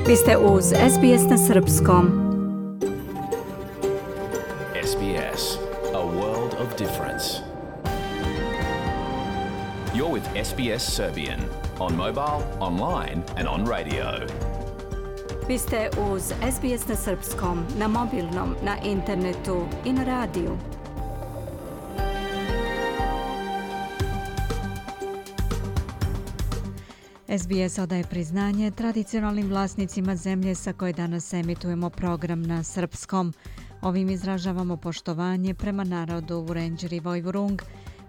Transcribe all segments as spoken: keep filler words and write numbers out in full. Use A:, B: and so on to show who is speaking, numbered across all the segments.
A: Vi ste uz S B S na srpskom.
B: S B S, a world of difference. You're with S B S Serbian on mobile, online and on radio.
A: Vi ste uz S B S na srpskom, na mobilnom, na internetu i na radiju. S B S odaje priznanje tradicionalnim vlasnicima zemlje sa koje danas emitujemo program na srpskom. Ovim izražavamo poštovanje prema narodu Vurenđer i Vojvurung,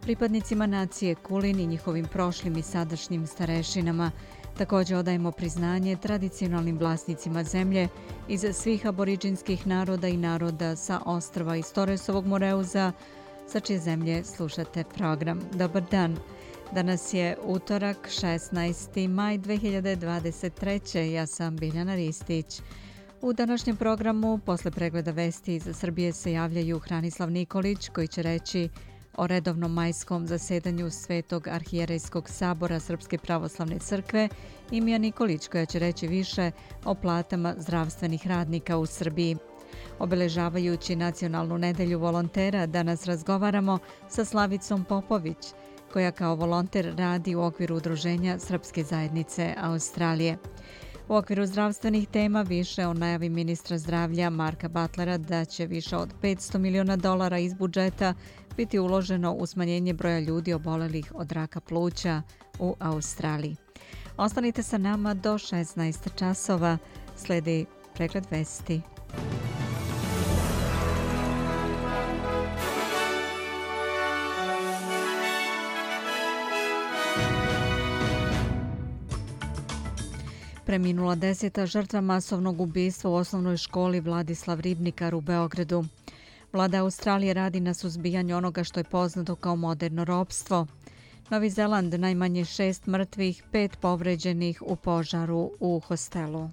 A: pripadnicima nacije Kulin i njihovim prošlim i sadašnjim starešinama. Također odajemo priznanje tradicionalnim vlasnicima zemlje iz svih aboriđinskih naroda i naroda sa ostrva iz Torresovog Moreuza, sa čije zemlje slušate program. Dobar dan. Danas je utorak, šesnaesti maj dve hiljade dvadeset treće. Ja sam Biljana Ristić. U današnjem programu, posle pregleda vesti iz Srbije, se javljaju Hranislav Nikolić, koji će reći o redovnom majskom zasedanju Svetog arhijerejskog sabora Srpske pravoslavne crkve, i Mija Nikolić, koja će reći više o platama zdravstvenih radnika u Srbiji. Obeležavajući Nacionalnu nedelju volontera, danas razgovaramo sa Slavicom Popović, koja kao volonter radi u okviru Udruženja Srpske zajednice Australije. U okviru zdravstvenih tema više o najavi ministra zdravlja Marka Butlera da će više od petsto miliona dolara iz budžeta biti uloženo u smanjenje broja ljudi obolelih od raka pluća u Australiji. Ostanite sa nama do šesnaest časova. Sledi pregled vesti. Preminula deseta žrtva masovnog ubistva u osnovnoj školi Vladislav Ribnikar u Beogradu. Vlada Australije radi na suzbijanju onoga što je poznato kao moderno ropstvo. Novi Zeland najmanje šest mrtvih, pet povređenih u požaru u hostelu.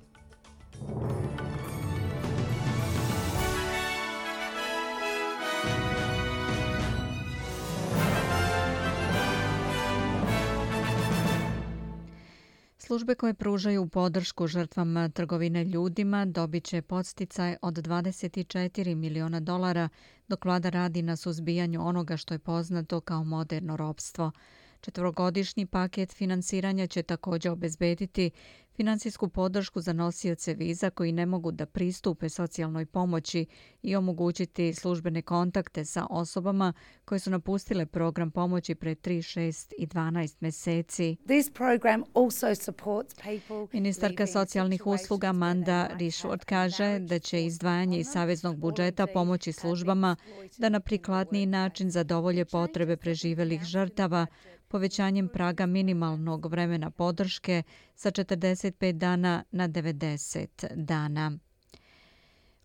A: Službe koje pružaju podršku žrtvama trgovine ljudima dobit će podsticaj od dvadeset četiri miliona dolara, dok vlada radi na suzbijanju onoga što je poznato kao moderno ropstvo. Četvorogodišnji paket finansiranja će također obezbediti finansijsku podršku za nosioce viza koji ne mogu da pristupe socijalnoj pomoći i omogućiti službene kontakte sa osobama koje su napustile program pomoći pre tri, šest i dvanaest meseci. Ministarka socijalnih usluga Amanda Rishworth kaže da će izdvajanje iz saveznog budžeta pomoći službama da na prikladniji način zadovolje potrebe preživelih žrtava, povećanjem praga minimalnog vremena podrške sa četrdeset pet dana na devedeset dana.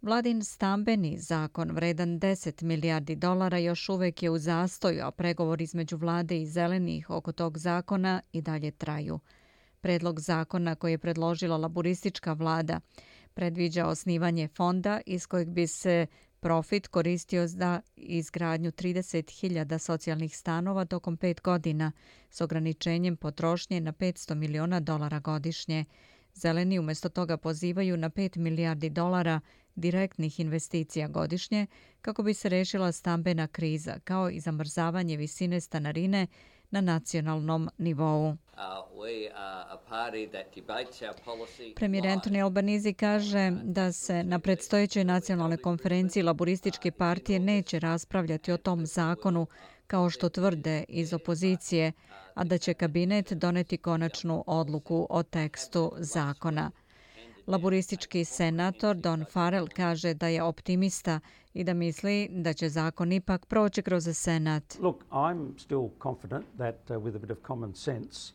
A: Vladin stambeni zakon vredan deset milijardi dolara još uvek je u zastoju, a pregovori između vlade i zelenih oko tog zakona i dalje traju. Predlog zakona koji je predložila laburistička vlada predviđa osnivanje fonda iz kojeg bi se profit koristio za izgradnju trideset hiljada socijalnih stanova tokom pet godina s ograničenjem potrošnje na petsto miliona dolara godišnje. Zeleni umjesto toga pozivaju na pet milijardi dolara direktnih investicija godišnje kako bi se rešila stambena kriza, kao i zamrzavanje visine stanarine na nacionalnom nivou. Premijer Anthony Albanese kaže da se na predstojećoj nacionalnoj konferenciji laborističke partije neće raspravljati o tom zakonu kao što tvrde iz opozicije, a da će kabinet doneti konačnu odluku o tekstu zakona. Laboristički senator Don Farrell kaže da je optimista i da misli da će zakon ipak proći kroz Senat.
C: Look, I'm still confident that uh, with a bit of common sense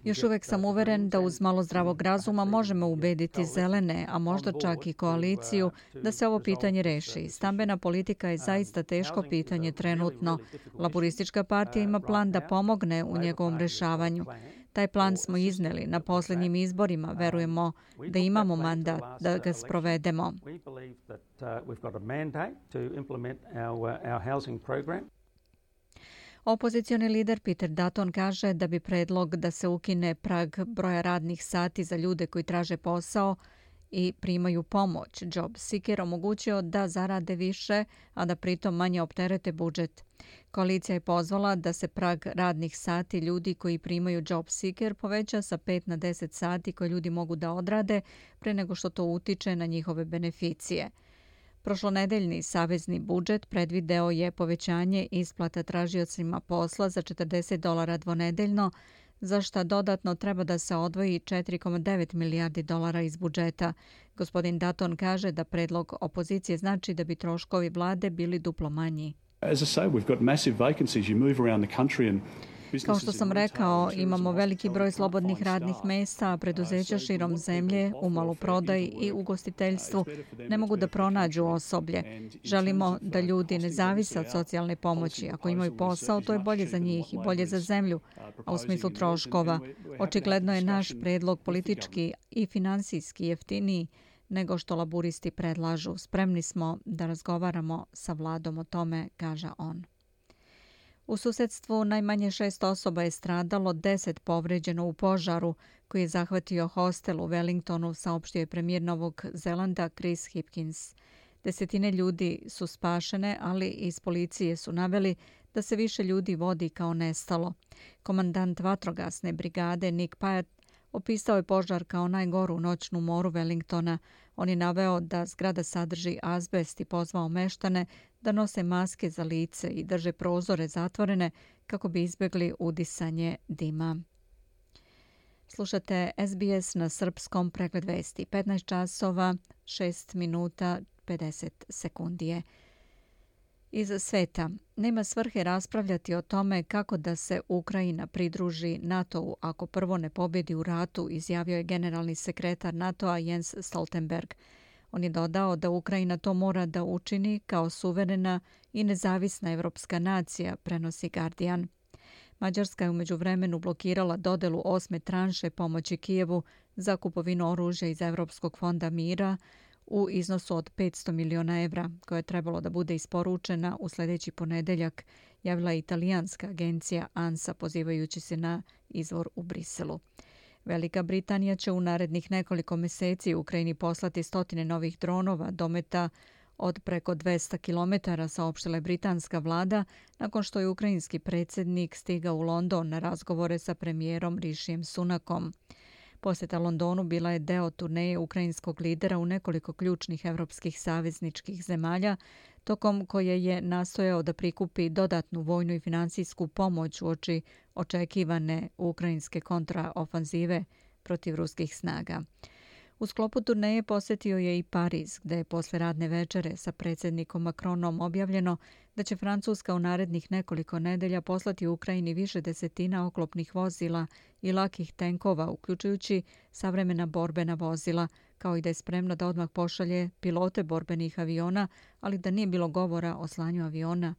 A: Još uvek sam uveren da uz malo zdravog razuma možemo ubediti zelene, a možda čak i koaliciju, da se ovo pitanje reši. Stambena politika je zaista teško pitanje trenutno. Laboristička partija ima plan da pomogne u njegovom rešavanju. Taj plan smo izneli na posljednjim izborima. Verujemo da imamo mandat da ga sprovedemo. Opozicioni lider Peter Dutton kaže da bi predlog da se ukine prag broja radnih sati za ljude koji traže posao i primaju pomoć Job Seeker omogućio da zarade više, a da pritom manje opterete budžet. Koalicija je pozvala da se prag radnih sati ljudi koji primaju Job Seeker poveća sa pet na deset sati koje ljudi mogu da odrade pre nego što to utiče na njihove beneficije. Prošlonedeljni savezni budžet predvideo je povećanje isplata tražiocima posla za četrdeset dolara dvonedeljno, za šta dodatno treba da se odvoji četiri zarez devet milijardi dolara iz budžeta. Gospodin Dutton kaže da predlog opozicije znači da bi troškovi vlade bili duplo manji.
D: As I say, we've got massive vacancies. You move around the country and
A: Kao što sam rekao, imamo veliki broj slobodnih radnih mesta, a preduzeća širom zemlje u maloprodaji i ugostiteljstvu ne mogu da pronađu osoblje. Želimo da ljudi ne zavise od socijalne pomoći. Ako imaju posao, to je bolje za njih i bolje za zemlju. A u smislu troškova, očigledno je naš predlog politički i finansijski jeftiniji nego što laburisti predlažu. Spremni smo da razgovaramo sa vladom o tome, kaže on. U susedstvu najmanje šest osoba je stradalo, deset povređeno u požaru koji je zahvatio hostel u Wellingtonu, saopštio je premijer Novog Zelanda Chris Hipkins. Desetine ljudi su spašene, ali iz policije su naveli da se više ljudi vodi kao nestalo. Komandant vatrogasne brigade Nick Pyatt opisao je požar kao najgoru noćnu moru Wellingtona. On je naveo da zgrada sadrži azbest i pozvao meštane da nose maske za lice i drže prozore zatvorene kako bi izbjegli udisanje dima. Slušate S B S na srpskom, pregled vesti. petnaest časova, šest minuta, pedeset sekundije. Iz sveta. Nema svrhe raspravljati o tome kako da se Ukrajina pridruži NATO-u ako prvo ne pobjedi u ratu, izjavio je generalni sekretar NATO-a Jens Stoltenberg. On je dodao da Ukrajina to mora da učini kao suverena i nezavisna evropska nacija, prenosi Guardian. Mađarska je u međuvremenu blokirala dodelu osme tranše pomoći Kijevu za kupovinu oružja iz Evropskog fonda mira u iznosu od petsto miliona evra, koja je trebalo da bude isporučena u sljedeći ponedeljak, javila je italijanska agencija ANSA pozivajući se na izvor u Briselu. Velika Britanija će u narednih nekoliko mjeseci Ukrajini poslati stotine novih dronova dometa od preko dvesta kilometara, saopštila je britanska vlada nakon što je ukrajinski predsjednik stigao u London na razgovore sa premijerom Rishijem Sunakom. Posjeta Londonu bila je deo turneje ukrajinskog lidera u nekoliko ključnih evropskih savezničkih zemalja, tokom koje je nastojao da prikupi dodatnu vojnu i finansijsku pomoć uoči očekivane ukrajinske kontraofanzive protiv ruskih snaga. U sklopu turneje posjetio je i Pariz, gde je posle radne večere sa predsjednikom Macronom objavljeno da će Francuska u narednih nekoliko nedelja poslati Ukrajini više desetina oklopnih vozila i lakih tenkova, uključujući savremena borbena vozila, kao i da je spremno da odmah pošalje pilote borbenih aviona, ali da nije bilo govora o slanju aviona.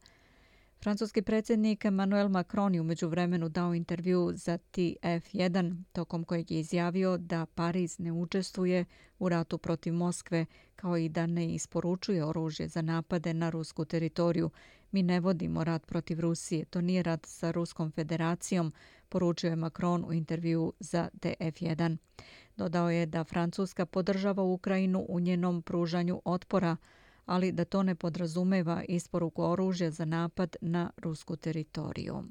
A: Francuski predsjednik Emmanuel Macron je u međuvremenu dao intervju za T F jedan, tokom kojeg je izjavio da Pariz ne učestvuje u ratu protiv Moskve, kao i da ne isporučuje oružje za napade na rusku teritoriju. Mi ne vodimo rat protiv Rusije, to nije rat sa Ruskom federacijom, poručio je Macron u intervju za T F jedan. Dodao je da Francuska podržava Ukrajinu u njenom pružanju otpora, ali da to ne podrazumeva isporuku oružja za napad na rusku teritoriju.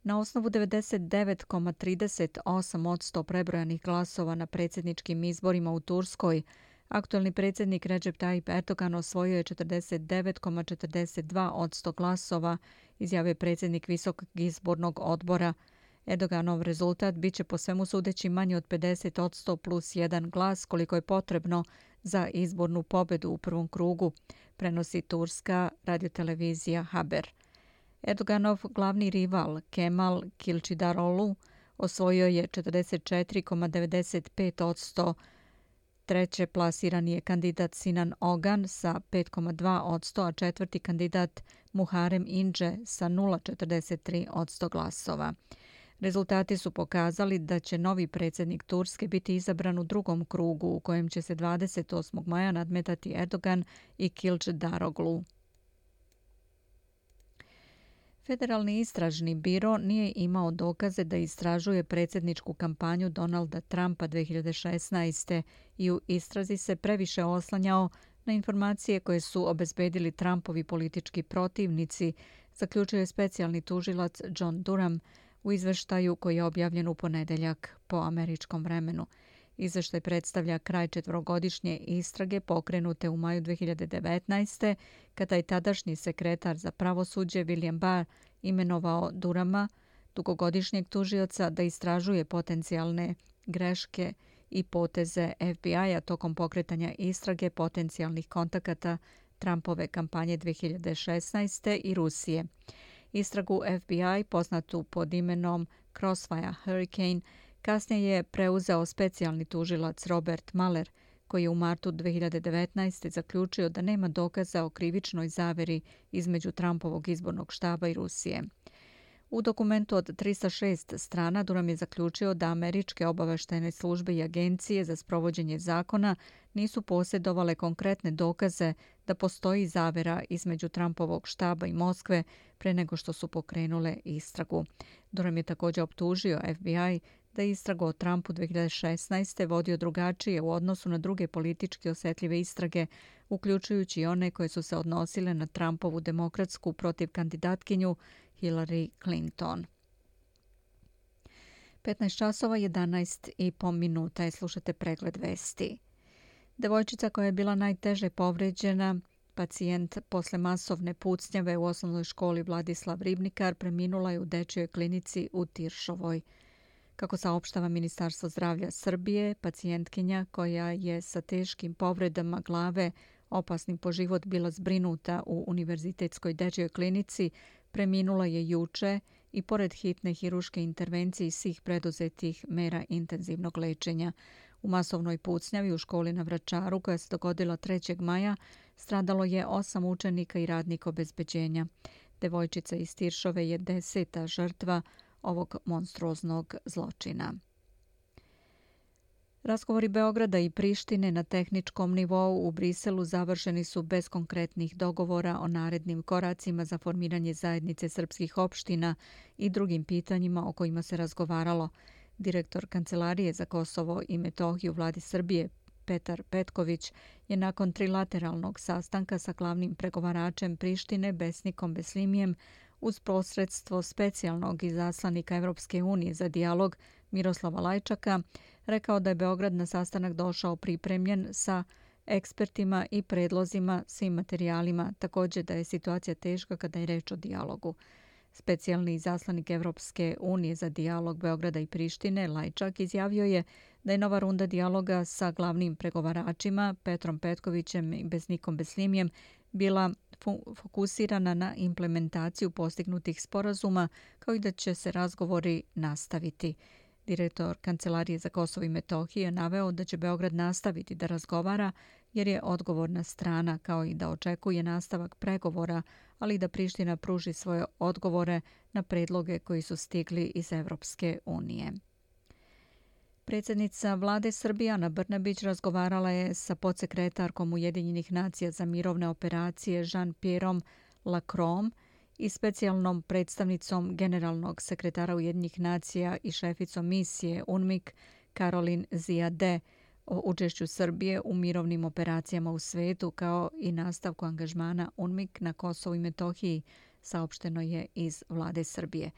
A: Na osnovu devedeset devet zarez trideset osam posto prebrojanih glasova na predsjedničkim izborima u Turskoj, aktuelni predsjednik Recep Tayyip Erdogan osvojio je četrdeset devet zarez četrdeset dva posto glasova, izjavio predsjednik Visokog izbornog odbora. Erdoganov rezultat biće po svemu sudeći manji od pedeset posto plus jedan glas, koliko je potrebno za izbornu pobedu u prvom krugu, prenosi turska radiotelevizija Haber. Erdoganov glavni rival Kemal Kılıçdaroğlu osvojio je četrdeset četiri zarez devedeset pet posto. Treće plasirani je kandidat Sinan Ogan sa pet zarez dva posto, a četvrti kandidat Muharrem Ince sa nula zarez četrdeset tri posto glasova. Rezultati su pokazali da će novi predsjednik Turske biti izabran u drugom krugu u kojem će se dvadeset osmog maja nadmetati Erdogan i Kılıçdaroğlu. Federalni istražni biro nije imao dokaze da istražuje predsjedničku kampanju Donalda Trumpa dvije hiljade šesnaeste. i u istrazi se previše oslanjao na informacije koje su obezbedili Trumpovi politički protivnici, zaključio je specijalni tužilac John Durham u izveštaju koji je objavljen u ponedeljak po američkom vremenu. Izveštaj predstavlja kraj četvorogodišnje istrage pokrenute u maju dvije hiljade devetnaeste. kada je tadašnji sekretar za pravosuđe William Barr imenovao Durhama, dugogodišnjeg tužioca, da istražuje potencijalne greške i poteze F B I-a tokom pokretanja istrage potencijalnih kontakata Trumpove kampanje dvije hiljade šesnaeste. i Rusije. Istragu F B I, poznatu pod imenom Crossfire Hurricane, kasnije je preuzeo specijalni tužilac Robert Mueller, koji je u martu dvije hiljade devetnaeste. zaključio da nema dokaza o krivičnoj zaveri između Trumpovog izbornog štaba i Rusije. U dokumentu od trista šest strana Durham je zaključio da američke obaveštajne službe i agencije za sprovođenje zakona nisu posjedovale konkretne dokaze da postoji zavera između Trumpovog štaba i Moskve pre nego što su pokrenule istragu. Durham je također optužio F B I da je istragu o Trumpu dvije hiljade šesnaeste. vodio drugačije u odnosu na druge politički osjetljive istrage, uključujući i one koje su se odnosile na Trumpovu demokratsku protiv kandidatkinju Hillary Clinton. petnaest časova jedanaest i po minuta je, slušate pregled vesti. Devojčica koja je bila najteže povređena, pacijent posle masovne pucnjave u osnovnoj školi Vladislav Ribnikar, preminula je u dečjoj klinici u Tiršovoj. Kako saopštava Ministarstvo zdravlja Srbije, pacijentkinja koja je sa teškim povredama glave, opasnim po život, bila zbrinuta u Univerzitetskoj dečjoj klinici, preminula je juče i pored hitne hiruške intervencije i svih preduzetih mera intenzivnog lečenja. U masovnoj pucnjavi u školi na Vračaru, koja se dogodila trećeg maja, stradalo je osam učenika i radnika obezbeđenja. Devojčica iz Tiršove je deseta žrtva ovog monstruoznog zločina. Razgovori Beograda i Prištine na tehničkom nivou u Briselu završeni su bez konkretnih dogovora o narednim koracima za formiranje zajednice srpskih opština i drugim pitanjima o kojima se razgovaralo. Direktor Kancelarije za Kosovo i Metohiju Vladi Srbije Petar Petković je nakon trilateralnog sastanka sa glavnim pregovaračem Prištine Besnikom Beslimijem uz posredstvo specijalnog izaslanika Evropske unije za dijalog Miroslava Lajčaka rekao da je Beograd na sastanak došao pripremljen sa ekspertima i predlozima, svim materijalima, također da je situacija teška kada je reč o dijalogu. Specijalni izaslanik Evropske unije za dijalog Beograda i Prištine Lajčak izjavio je da je nova runda dijaloga sa glavnim pregovaračima Petrom Petkovićem i Besnikom Beslimijem bila fokusirana na implementaciju postignutih sporazuma, kao i da će se razgovori nastaviti. Direktor Kancelarije za Kosovo i Metohiju je naveo da će Beograd nastaviti da razgovara jer je odgovorna strana, kao i da očekuje nastavak pregovora, ali i da Priština pruži svoje odgovore na predloge koji su stigli iz Evropske unije. Predsjednica Vlade Srbije Ana Brnabić razgovarala je sa podsekretarkom Ujedinjenih nacija za mirovne operacije Jean-Pierreom Lacroixom i specijalnom predstavnicom generalnog sekretara Ujedinjenih nacija i šeficom misije U N M I K Caroline Ziyadeh o učešću Srbije u mirovnim operacijama u svetu, kao i nastavku angažmana U N M I K na Kosovu i Metohiji, saopšteno je iz Vlade Srbije.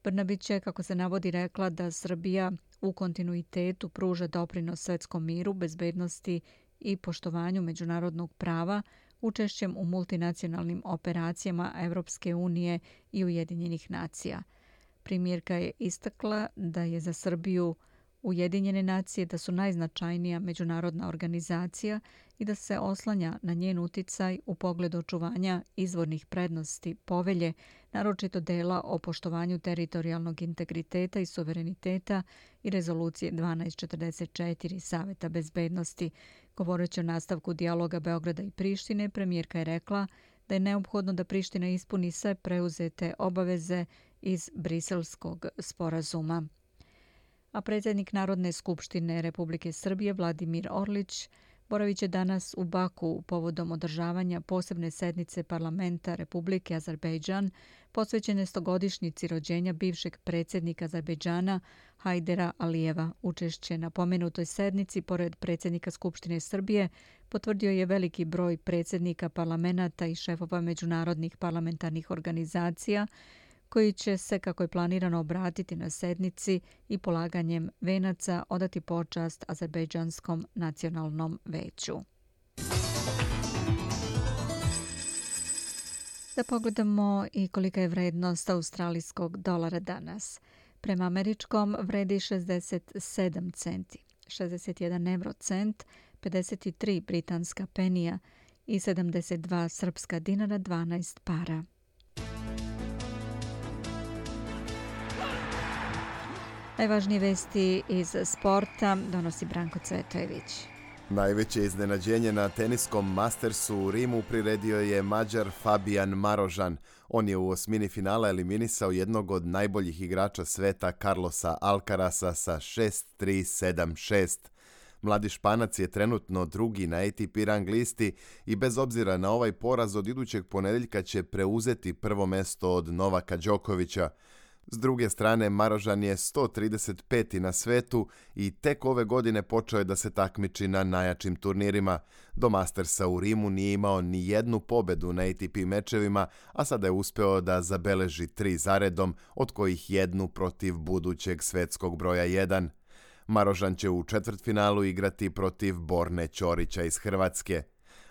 A: Brnabić je, kako se navodi, rekla da Srbija u kontinuitetu pruža doprinos svetskom miru, bezbednosti i poštovanju međunarodnog prava učešćem u multinacionalnim operacijama Evropske unije i Ujedinjenih nacija. Premijerka je istakla da je za Srbiju Ujedinjene nacije da su najznačajnija međunarodna organizacija i da se oslanja na njen uticaj u pogledu očuvanja izvornih prednosti povelje, naročito dela o poštovanju teritorijalnog integriteta i suvereniteta i rezolucije dvanaest četrdeset četiri Saveta bezbednosti. Govoreći o nastavku dijaloga Beograda i Prištine, premijerka je rekla da je neophodno da Priština ispuni sve preuzete obaveze iz Briselskog sporazuma. A predsjednik Narodne skupštine Republike Srbije Vladimir Orlić boravit će danas u Baku povodom održavanja posebne sednice Parlamenta Republike Azerbejdžan posvećene stogodišnjici rođenja bivšeg predsjednika Azerbejdžana Hajdera Alijeva. Učešće na pomenutoj sednici, pored predsjednika Skupštine Srbije, potvrdio je veliki broj predsjednika parlamenta i šefova međunarodnih parlamentarnih organizacija, koji će se, kako je planirano, obratiti na sednici i polaganjem venaca odati počast Azerbejdžanskom nacionalnom veću. Da pogledamo i kolika je vrednost australijskog dolara danas. Prema američkom vredi šezdeset sedam centi, šezdeset jedan evrocent, pedeset tri britanska penija i sedamdeset dva srpska dinara, dvanaest para. Najvažnije vesti iz sporta donosi Branko Cvetojević.
E: Najveće iznenađenje na teniskom Mastersu u Rimu priredio je Mađar Fabian Marožan. On je u osmini finala eliminisao jednog od najboljih igrača sveta Carlosa Alcarasa sa šest tri sedam šest. Mladi Španac je trenutno drugi na A T P rang listi i bez obzira na ovaj poraz od idućeg ponedjeljka će preuzeti prvo mesto od Novaka Đokovića. S druge strane, Marožan je sto trideset peti na svetu i tek ove godine počeo je da se takmiči na najjačim turnirima. Do Mastersa u Rimu nije imao ni jednu pobedu na A T P mečevima, a sada je uspeo da zabeleži tri zaredom, od kojih jednu protiv budućeg svetskog broja jedan. Marožan će u četvrtfinalu igrati protiv Borne Ćorića iz Hrvatske.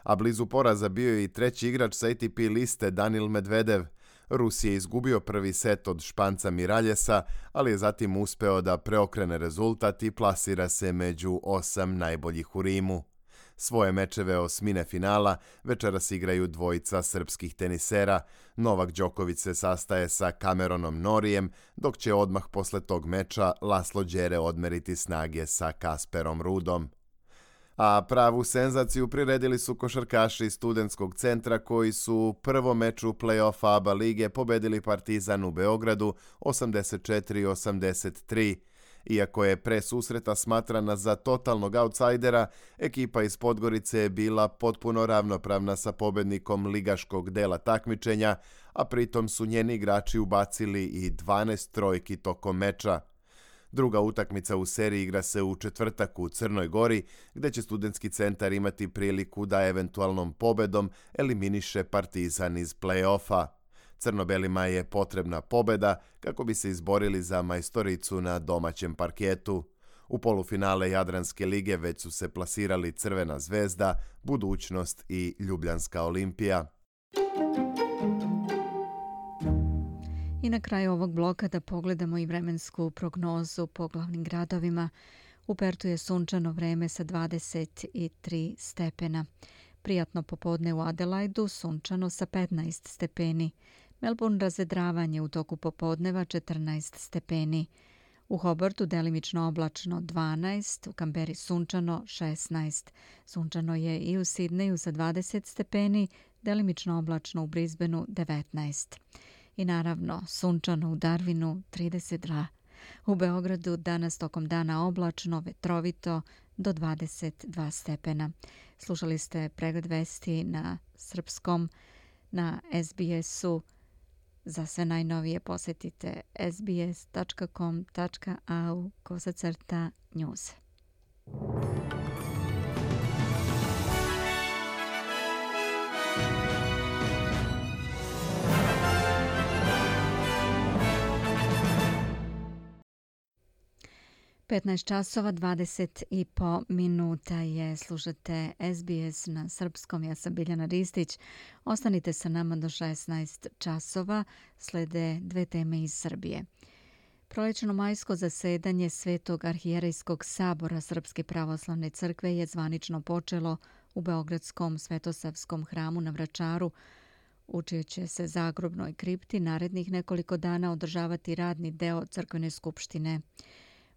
E: A blizu poraza bio je i treći igrač sa A T P liste Danil Medvedev. Rus je izgubio prvi set od Španca Miraljesa, ali je zatim uspeo da preokrene rezultat i plasira se među osam najboljih u Rimu. Svoje mečeve osmine finala večeras igraju dvojica srpskih tenisera. Novak Đoković se sastaje sa Cameronom Norijem, dok će odmah posle tog meča Laslo Đere odmeriti snage sa Kasperom Rudom. A pravu senzaciju priredili su košarkaši Studentskog centra koji su u prvom meču play-offa A B A lige pobedili Partizan u Beogradu osamdeset četiri osamdeset tri. Iako je pre susreta smatrana za totalnog outsidera, ekipa iz Podgorice je bila potpuno ravnopravna sa pobednikom ligaškog dela takmičenja, a pritom su njeni igrači ubacili i dvanaest trojki tokom meča. Druga utakmica u seriji igra se u četvrtak u Crnoj Gori, gde će Studentski centar imati priliku da eventualnom pobedom eliminiše Partizan iz play-offa. Crno-belima je potrebna pobeda kako bi se izborili za majstoricu na domaćem parketu. U polufinale Jadranske lige već su se plasirali Crvena zvezda, Budućnost i Ljubljanska Olimpija.
A: I na kraju ovog bloka da pogledamo i vremensku prognozu po glavnim gradovima. U Pertu je sunčano vreme sa dvadeset tri stepena. Prijatno popodne u Adelaidu, sunčano sa petnaest stepeni. Melbourne razvedravanje u toku popodneva četrnaest stepeni. U Hobartu delimično oblačno dvanaest, u Kamberi sunčano šesnaest. Sunčano je i u Sidneju sa dvadeset stepeni, delimično oblačno u Brisbaneu devetnaest. I naravno, sunčano u Darwinu trideset dva. U Beogradu danas tokom dana oblačno, vetrovito do dvadeset dva stepena. Slušali ste pregled vesti na srpskom na S B S-u. Za sve najnovije posjetite s b s tačka com tačka a u kosacrta news. petnaest časova dvadeset i po minuta je, slušate S B S na srpskom. Ja sam Biljana Ristić. Ostanite sa nama do šesnaest časova. Slede dve teme iz Srbije. Prolećno majsko zasedanje Svetog arhijerejskog sabora Srpske pravoslavne crkve je zvanično počelo u Beogradskom Svetosavskom hramu na Vračaru, u čijoj će se zagrobnoj kripti narednih nekoliko dana održavati radni deo crkvene skupštine.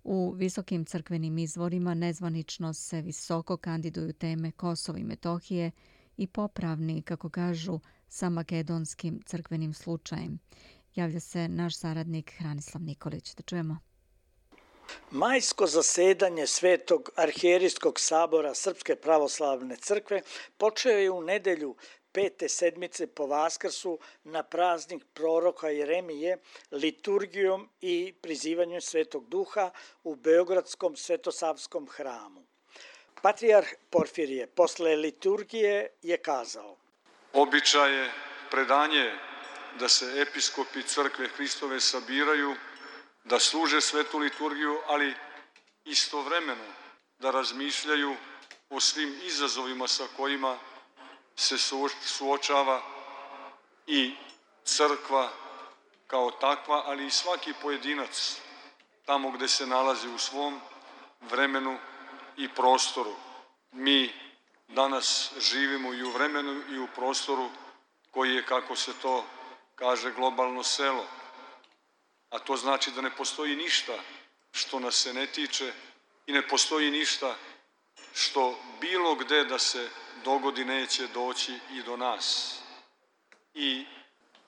A: U visokim crkvenim izvorima nezvanično se visoko kandiduju teme Kosova i Metohije i popravni, kako kažu, sa makedonskim crkvenim slučajem. Javlja se naš saradnik Hranislav Nikolić. Da čujemo.
F: Majsko zasedanje Svetog arhijerijskog sabora Srpske pravoslavne crkve počeo je u nedelju pete sedmice po Vaskrsu na praznik proroka Jeremije liturgijom i prizivanjem Svetog Duha u Beogradskom Svetosavskom hramu. Patrijarh Porfirije posle liturgije je kazao:
G: Običaj je predanje da se episkopi crkve Hristove sabiraju, da služe svetu liturgiju, ali istovremeno da razmišljaju o svim izazovima sa kojima se suočava i crkva kao takva, ali i svaki pojedinac tamo gde se nalazi u svom vremenu i prostoru. Mi danas živimo i u vremenu i u prostoru koji je, kako se to kaže, globalno selo. A to znači da ne postoji ništa što nas se ne tiče i ne postoji ništa što bilo gde da se dogodi neće doći i do nas. I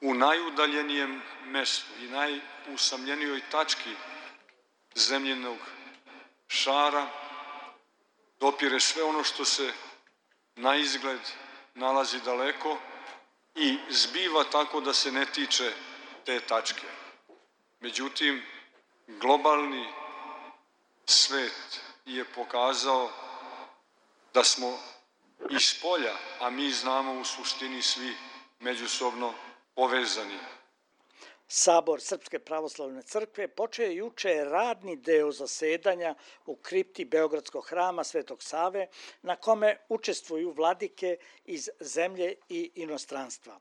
G: u najudaljenijem mestu i najusamljenijoj tački zemljenog šara dopire sve ono što se na izgled nalazi daleko i zbiva tako da se ne tiče te tačke. Međutim, globalni svet je pokazao da smo iz polja, a mi znamo u suštini svi međusobno povezani.
F: Sabor Srpske pravoslavne crkve počeo je juče radni deo zasedanja u kripti Beogradskog hrama Svetog Save, na kome učestvuju vladike iz zemlje i inostranstva.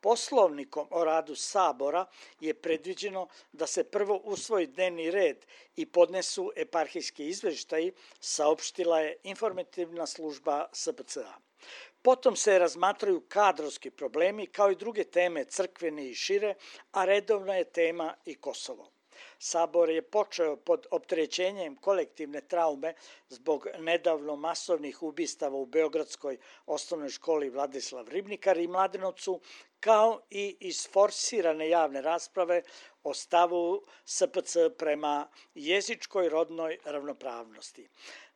F: Poslovnikom o radu Sabora je predviđeno da se prvo usvoji dnevni red i podnesu eparhijski izveštaji, saopštila je informativna služba S P C A. Potom se razmatraju kadrovski problemi kao i druge teme crkvene i šire, a redovna je tema i Kosovo. Sabor je počeo pod opterećenjem kolektivne traume zbog nedavno masovnih ubistava u Beogradskoj osnovnoj školi Vladislav Ribnikar i Mladenovcu, kao i isforsirane javne rasprave o stavu S P C prema jezičkoj rodnoj ravnopravnosti.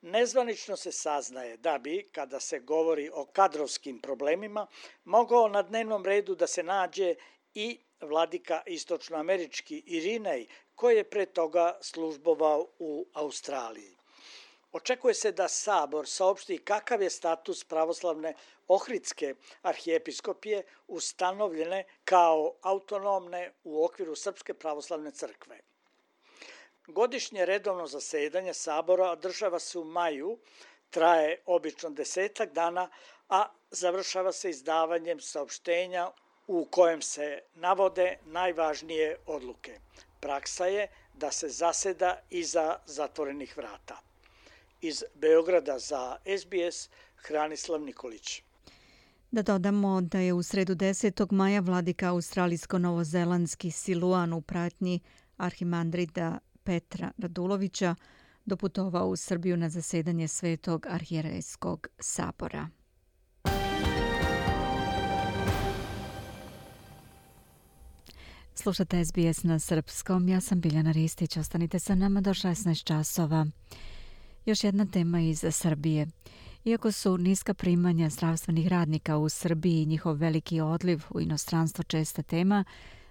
F: Nezvanično se saznaje da bi, kada se govori o kadrovskim problemima, mogao na dnevnom redu da se nađe i vladika istočnoamerički Irinej, koji je pre toga službovao u Australiji. Očekuje se da Sabor saopšti kakav je status pravoslavne Ohridske arhijepiskopije ustanovljene kao autonomne u okviru Srpske pravoslavne crkve. Godišnje redovno zasedanje Sabora održava se u maju, traje obično desetak dana, a završava se izdavanjem saopštenja u kojem se navode najvažnije odluke. Praksa je da se zaseda iza zatvorenih vrata. Iz Beograda za S B S, Hranislav Nikolić.
A: Da dodamo da je u sredu desetog maja vladika australijsko-novozelandski Siluan u pratnji arhimandrita Petra Radulovića doputovao u Srbiju na zasedanje Svetog arhijerejskog sabora. Slušate S B S na srpskom, ja sam Biljana Ristić, ostanite sa nama do šesnaest časova. Još jedna tema iz Srbije. Iako su niska primanja zdravstvenih radnika u Srbiji i njihov veliki odliv u inostranstvo česta tema,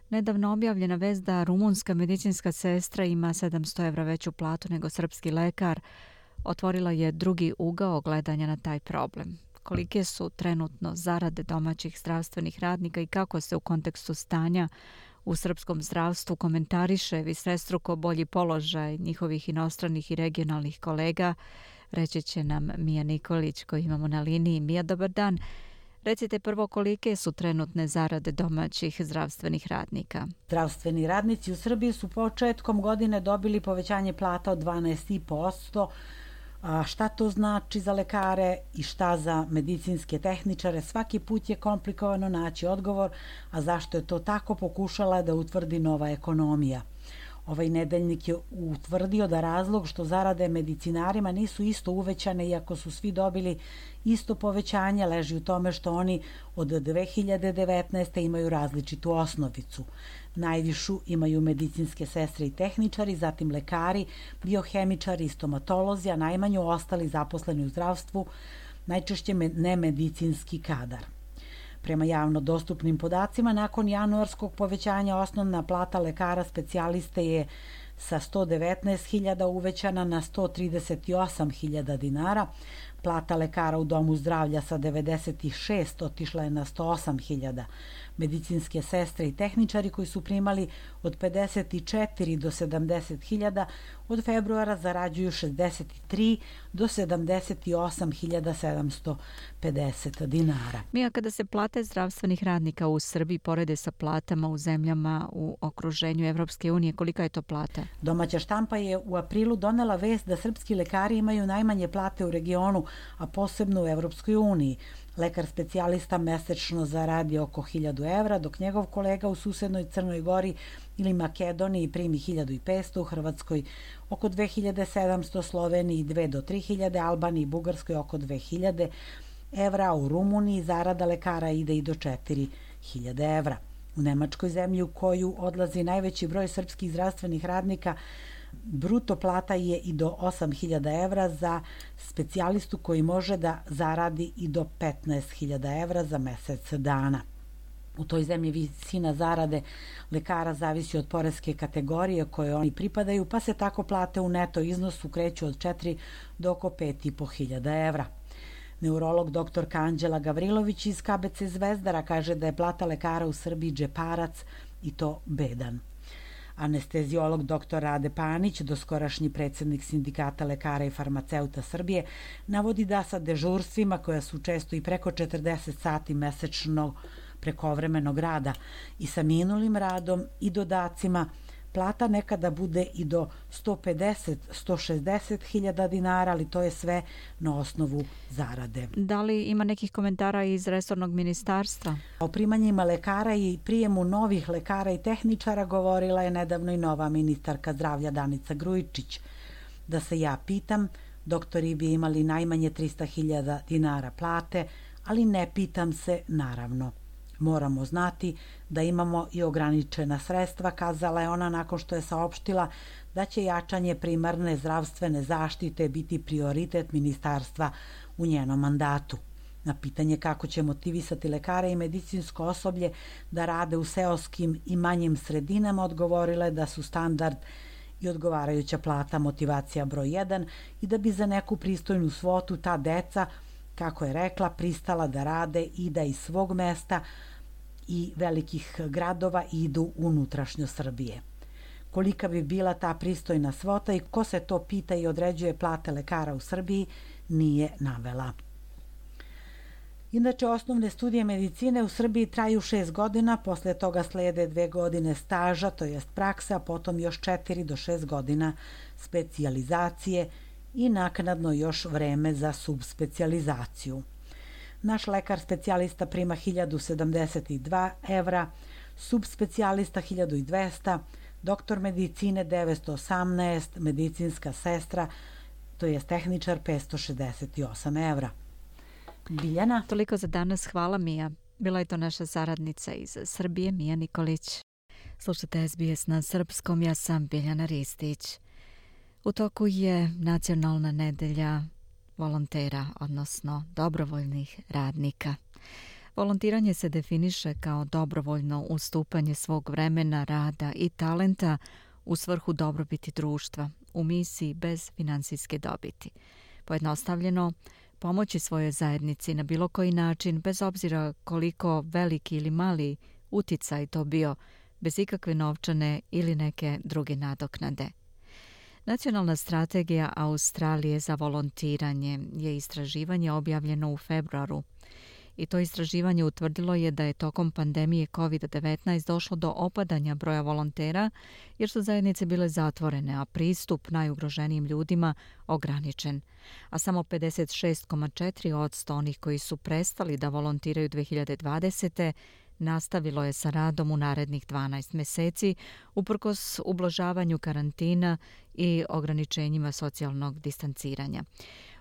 A: nedavno objavljena vest da rumunska medicinska sestra ima sedamsto evra veću platu nego srpski lekar otvorila je drugi ugao gledanja na taj problem. Kolike su trenutno zarade domaćih zdravstvenih radnika i kako se u kontekstu stanja u srpskom zdravstvu komentariše višestruko bolji položaj njihovih inostranih i regionalnih kolega, reći će nam Mija Nikolić koju imamo na liniji. Mija, dobar dan. Recite prvo kolike su trenutne zarade domaćih zdravstvenih radnika.
H: Zdravstveni radnici u Srbiji su početkom godine dobili povećanje plata od dvanaest zarez pet posto. A šta to znači za lekare i šta za medicinske tehničare? Svaki put je komplikovano naći odgovor, a zašto je to tako pokušala da utvrdi Nova ekonomija. Ovaj nedeljnik je utvrdio da razlog što zarade medicinarima nisu isto uvećane iako su svi dobili isto povećanje leži u tome što oni od dve hiljade devetnaeste. imaju različitu osnovicu. Najvišu imaju medicinske sestre i tehničari, zatim lekari, biohemičari i stomatolozi, a najmanju ostali zaposleni u zdravstvu, najčešće nemedicinski kadar. Prema javno dostupnim podacima, nakon januarskog povećanja osnovna plata lekara specijaliste je sa sto devetnaest hiljada uvećana na sto trideset osam hiljada dinara, plata lekara u domu zdravlja sa devedeset šest otišla je na sto osam hiljada. Medicinske sestre i tehničari koji su primali od pedeset četiri do sedamdeset hiljada od februara zarađuju šezdeset tri do sedamdeset osam hiljada sedamsto pedeset dinara.
A: Mija, kada se plate zdravstvenih radnika u Srbiji porede sa platama u zemljama u okruženju Evropske unije, kolika je to plata?
H: Domaća štampa je u aprilu donela vest da srpski lekari imaju najmanje plate u regionu, a posebno u Evropskoj uniji. Lekar specijalista mesečno zaradi oko hiljadu evra, dok njegov kolega u susednoj Crnoj Gori ili Makedoniji primi hiljadu petsto, u Hrvatskoj oko dve hiljade sedamsto, Sloveniji dve do tri hiljade, Albaniji i Bugarskoj oko dve hiljade evra, a u Rumuniji zarada lekara ide i do četiri hiljade evra. U Nemačkoj, zemlji u koju odlazi najveći broj srpskih zdravstvenih radnika, bruto plata je i do osam hiljada evra za specijalistu koji može da zaradi i do petnaest hiljada evra za mesec dana. U toj zemlji visina zarade lekara zavisi od poreske kategorije koje oni pripadaju, pa se tako plate u neto iznosu kreću od četiri do oko pet i po hiljada evra. Neurolog doktorka Anđela Gavrilović iz K B C Zvezdara kaže da je plata lekara u Srbiji džeparac i to bedan. Anesteziolog doktor Rade Panić, doskorašnji predsjednik Sindikata lekara i farmaceuta Srbije, navodi da sa dežurstvima koja su često i preko četrdeset sati mesečno prekovremenog rada i sa minulim radom i dodacima, plata nekada bude i do sto pedeset do sto šezdeset hiljada dinara, ali to je sve na osnovu zarade.
A: Da li ima nekih komentara iz resornog ministarstva?
H: O primanjima lekara i prijemu novih lekara i tehničara govorila je nedavno i nova ministarka zdravlja Danica Grujičić. Da se ja pitam, doktori bi imali najmanje trista hiljada dinara plate, ali ne pitam se naravno. Moramo znati da imamo i ograničena sredstva, kazala je ona nakon što je saopštila da će jačanje primarne zdravstvene zaštite biti prioritet ministarstva u njenom mandatu. Na pitanje kako će motivisati lekare i medicinsko osoblje da rade u seoskim i manjim sredinama, odgovorila je da su standard i odgovarajuća plata motivacija broj jedan i da bi za neku pristojnu svotu ta deca, kako je rekla, pristala da rade i da iz svog mesta i velikih gradova idu unutrašnjo Srbije. Kolika bi bila ta pristojna svota i ko se to pita i određuje plate lekara u Srbiji, nije navela. Inače, osnovne studije medicine u Srbiji traju šest godina, posle toga slede dve godine staža, to jest praksa, a potom još četiri do šest godina specijalizacije i naknadno još vreme za subspecijalizaciju. Naš lekar specijalista prima hiljadu sedamdeset dva evra, subspecijalista hiljadu dvesta, doktor medicine devetsto osamnaest, medicinska sestra, to je tehničar petsto šezdeset osam evra. Biljana?
A: Toliko za danas, hvala Mija. Bila je to naša saradnica iz Srbije, Mija Nikolić. Slušajte S B S na srpskom, ja sam Biljana Ristić. U toku je nacionalna nedelja volontera, odnosno dobrovoljnih radnika. Volontiranje se definiše kao dobrovoljno ustupanje svog vremena, rada i talenta u svrhu dobrobiti društva, u misiji bez finansijske dobiti. Pojednostavljeno, pomoći svojoj zajednici na bilo koji način, bez obzira koliko veliki ili mali uticaj to bio, bez ikakve novčane ili neke druge nadoknade. Nacionalna strategija Australije za volontiranje je istraživanje objavljeno u februaru i to istraživanje utvrdilo je da je tokom pandemije kovid devetnaest došlo do opadanja broja volontera jer su zajednice bile zatvorene, a pristup najugroženijim ljudima ograničen. A samo pedeset šest zarez četiri posto onih koji su prestali da volontiraju dve hiljade dvadesete nastavilo je sa radom u narednih dvanaest mjeseci uprkos ublažavanju karantina i ograničenjima socijalnog distanciranja.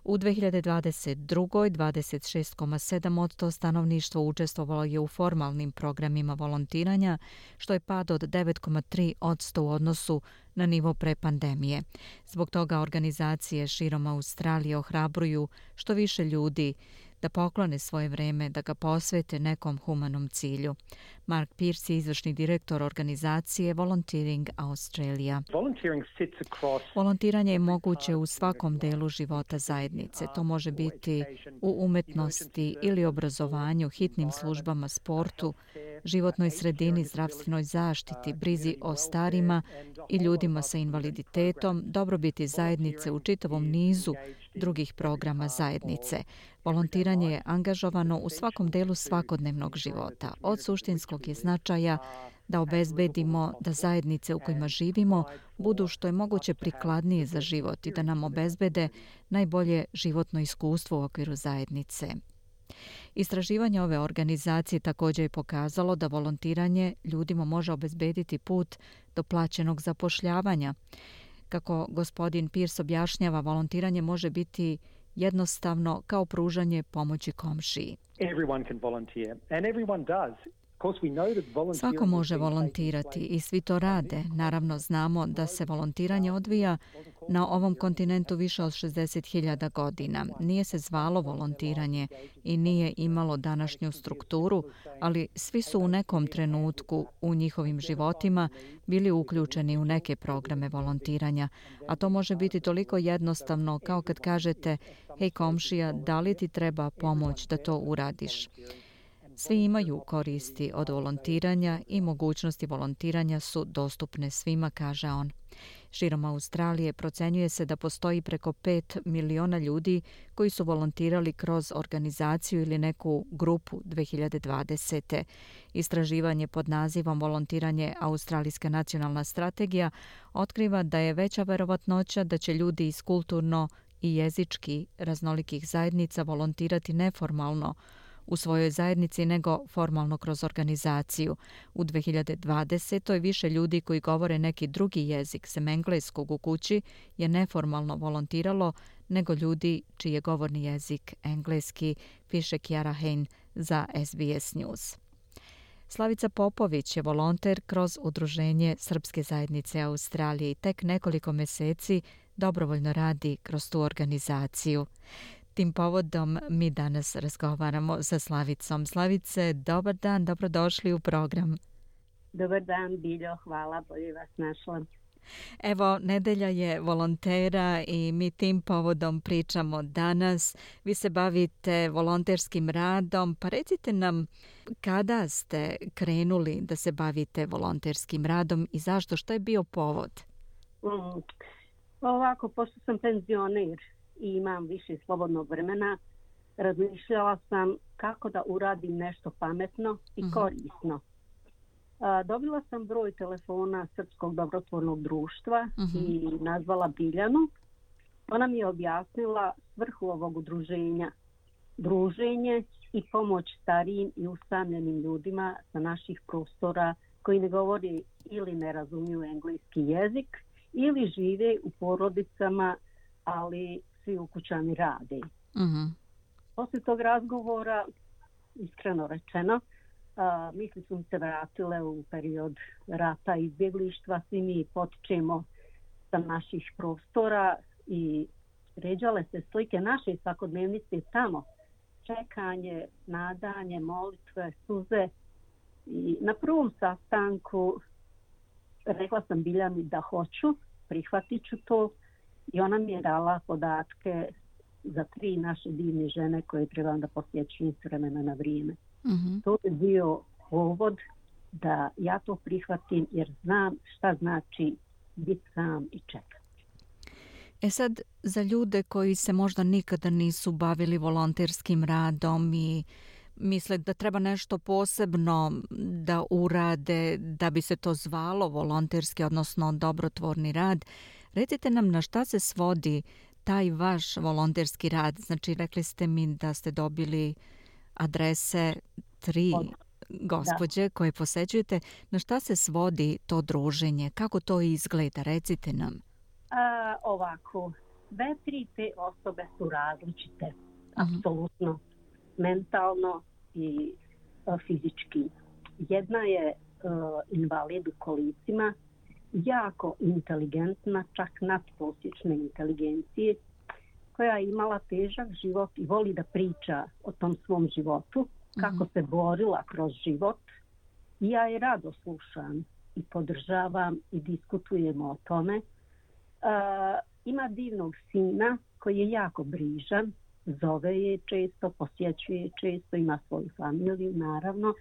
A: U dve hiljade dvadeset drugoj. dvadeset šest zarez sedam posto stanovništva učestvovalo je u formalnim programima volontiranja, što je pad od devet zarez tri posto u odnosu na nivo pre pandemije. Zbog toga organizacije širom Australije ohrabruju što više ljudi da poklone svoje vreme, da ga posvete nekom humanom cilju. Mark Pierce je izvršni direktor organizacije Volunteering Australia. Volontiranje je moguće u svakom delu života zajednice. To može biti u umetnosti ili obrazovanju, hitnim službama, sportu, životnoj sredini, zdravstvenoj zaštiti, brizi o starima i ljudima sa invaliditetom, dobrobiti zajednice u čitavom nizu drugih programa zajednice. Volontiranje je angažovano u svakom delu svakodnevnog života. Od suštinskog je značaja da obezbedimo da zajednice u kojima živimo budu što je moguće prikladnije za život i da nam obezbede najbolje životno iskustvo u okviru zajednice. Istraživanje ove organizacije također je pokazalo da volontiranje ljudima može obezbediti put do plaćenog zapošljavanja. Kako gospodin Pierce objašnjava, volontiranje može biti jednostavno kao pružanje pomoći komšiji. Svako može volontirati i svi to rade. Naravno, znamo da se volontiranje odvija na ovom kontinentu više od šezdeset hiljada godina. Nije se zvalo volontiranje i nije imalo današnju strukturu, ali svi su u nekom trenutku u njihovim životima bili uključeni u neke programe volontiranja. A to može biti toliko jednostavno kao kad kažete: hej komšija, da li ti treba pomoć da to uradiš? Svi imaju koristi od volontiranja i mogućnosti volontiranja su dostupne svima, kaže on. Širom Australije procenjuje se da postoji preko pet miliona ljudi koji su volontirali kroz organizaciju ili neku grupu dve hiljade dvadesete. Istraživanje pod nazivom Volontiranje Australijska nacionalna strategija otkriva da je veća verovatnoća da će ljudi iz kulturno i jezički raznolikih zajednica volontirati neformalno u svojoj zajednici nego formalno kroz organizaciju. U dve hiljade dvadesetoj više ljudi koji govore neki drugi jezik sem engleskog u kući je neformalno volontiralo nego ljudi čiji je govorni jezik engleski, piše Kiara Hein za S B S News. Slavica Popović je volonter kroz Udruženje Srpske zajednice Australije i tek nekoliko mjeseci dobrovoljno radi kroz tu organizaciju. Tim povodom mi danas razgovaramo sa Slavicom. Slavice, dobar dan, dobrodošli u program.
I: Dobar dan, Biljo, hvala, bolje vas našla.
A: Evo, nedelja je volontera i mi tim povodom pričamo danas. Vi se bavite volonterskim radom, pa recite nam kada ste krenuli da se bavite volonterskim radom i zašto, što je bio povod?
I: Mm, ovako, pošto sam penzioner i imam više slobodnog vremena, razmišljala sam kako da uradim nešto pametno i uh-huh. korisno. A, dobila sam broj telefona Srpskog dobrotvornog društva uh-huh. i nazvala Biljanu. Ona mi je objasnila svrhu ovog udruženja. Druženje i pomoć starijim i usamljenim ljudima sa naših prostora koji ne govori ili ne razumiju engleski jezik ili žive u porodicama, ali svi ukućani rade.
A: Uh-huh.
I: Poslije tog razgovora, iskreno rečeno, a, misli su mi se vratile u period rata i izbjeglištva. Svi mi potičemo sa naših prostora i ređale se slike naše svakodnevnice tamo. Čekanje, nadanje, molitve, suze. I na prvom sastanku rekla sam Biljani da hoću, prihvatit ću to. I ona mi je dala podatke za tri naše divne žene koje trebam da posjećujem s vremena na vrijeme.
A: Uh-huh.
I: To je bio povod da ja to prihvatim jer znam šta znači biti sam i čekati.
A: E sad, za ljude koji se možda nikada nisu bavili volonterskim radom i misle da treba nešto posebno da urade da bi se to zvalo volonterski, odnosno dobrotvorni rad, recite nam na šta se svodi taj vaš volonterski rad. Znači, rekli ste mi da ste dobili adrese tri gospođe da. koje posećujete. Na šta se svodi to druženje? Kako to izgleda? Recite nam.
I: A, ovako, sve tri te osobe su različite. Uh-huh. Apsolutno. Mentalno i uh, fizički. Jedna je uh, invalid u kolicima, jako inteligentna, čak nadprosječne inteligencije, koja je imala težak život i voli da priča o tom svom životu, kako mm-hmm. se borila kroz život. I ja je rado slušam i podržavam i diskutujemo o tome. Uh, ima divnog sina koji je jako brižan, zove je često, posjećuje često, ima svoju familiju, naravno.